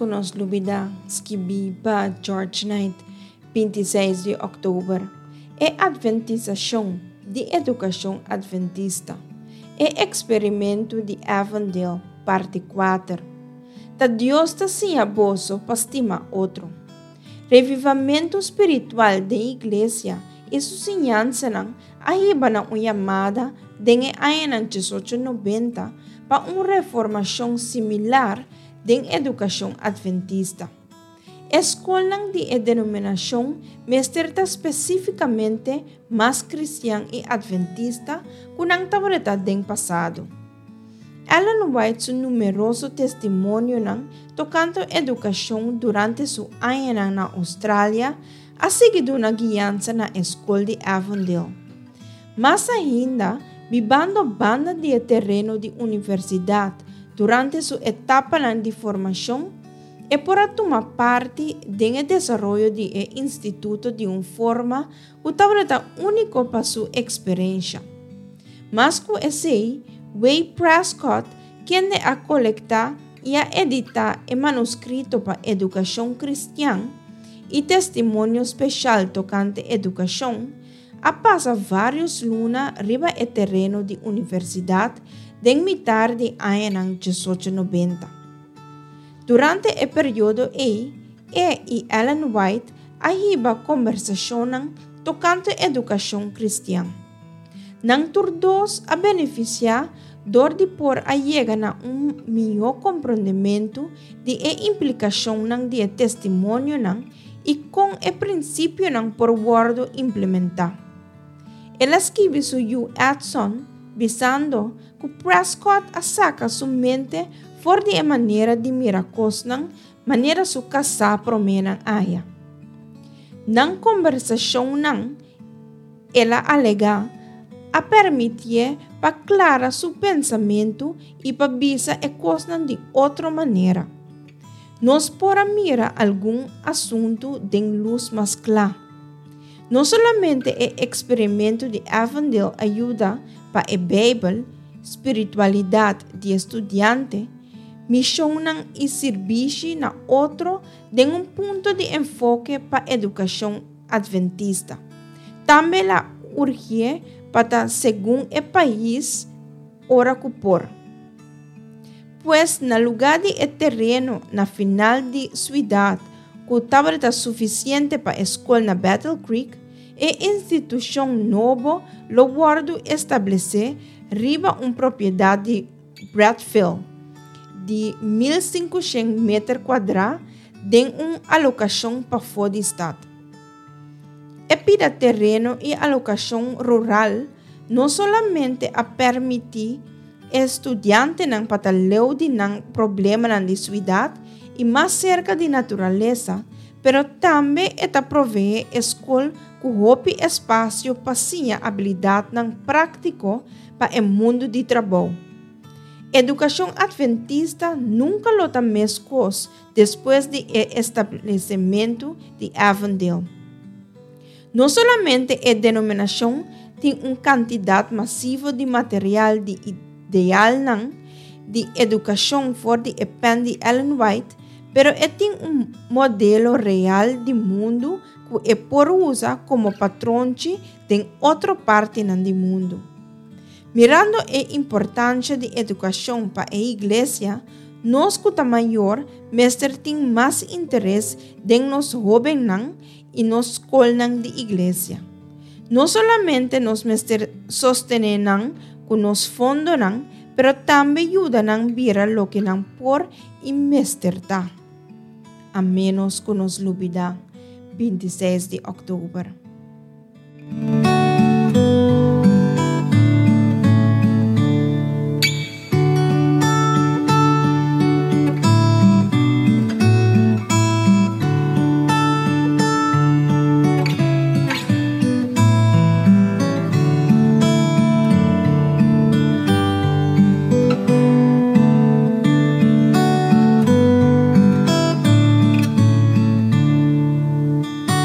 ku nos lubidá, skibí pa George Knight, 26 di òktober. E Adventisashon di Edukashon Adventista, E Eksperimentu di Avondale, parti 4. Ta Dios ta siña boso pa stima otro. Revivamentu spiritual den Iglesia i su siñansanan a hiba na un yamada den e añanan 1890 pa un reformashon similar den edukashon adventista. E skolnan di e denominashon mester ta spesífikamente mas kristian i adventista ku nan tabata den pasado. Ellen White su numeroso testimonionan tokante edukashon durante su añanan na Australia a sigui duna guiansa na e skol di Avondale. Mas ainda, bibando banda di e tereno di universidat durante su etapanan di formashon, e por a tuma parti den e desaroyo di e instituto di un forma ku tabata úniko pa su eksperensha. Mas ku esei, Way Prescott, kende a kolektá i a editá e manuskrito pa edukashon kristian i testimonio speshal tokante edukashon, a pasa vários luna riba e tereno di universidat den mitar di añanan 1890. Durante e periodo ei, e i Ellen White a hiba kombersashonnan tokante edukashon kristian. Nan tur dos a benefisiá dor di por a yega na un mihó komprondementu di e implikashonnan di e testimonionan i kon e prinsipionan por wòrdu implementá. El a skibi su yu Edson bisando ku Prescott a saka su mente for di e manera di mira kosnan manera su kasá proménan aya. Nan kombersashonnan, el a alegá, a permitié pa klara su pensamentu i pa bisa e kosnan di otro manera. Nos por a mira algun asuntu den lus mas kla. No solamente e eksperimentu di Avondale a yuda pa e Beibel, spiritualidat di e studiante, mishonnan i sirbishi na otro den un punto di enfoke pa edukashon adventista. Tambe el a urgié pa ta segun e pais ora ku por. Pues na lugá di e tereno na final di suidat ku tabata sufisiente pa e skol na Battle Creek, e institushon nobo lo wòrdu establesé riba un propiedat di Bradfield di 1500 meter kuadrá den un alokashon pafó di stat. E pida tereno i alokashon rural no solamente a permití e studiantenan pa ta leu di nan problemanan di suidat i mas serka di naturalesa, pero tambe e ta proveé e skol ku hopi espasio pa siña abilidatnan práktiko pa e mundu di trabou. Edukashon Adventista nunka lo ta meskos despues di e establesementu di Avondale. No solamente e denominashon tin un kantidat masivo di material di idealnan di edukashon for di e pen di Ellen White, pero e tin un modelo real di mundu ku e por usa komo patronchi den otro partinan di mundu. Mirando e importansha di edukashon pa e iglesia, nos ku ta mayor mester tin mas interes den nos hóbennan i nos skolnan di iglesia. No solamente nos mester sostené nan ku nos fondonan, pero tambe yuda nan bira loke nan por i mester ta. A ménos ku nos lubidá 26 di òktober.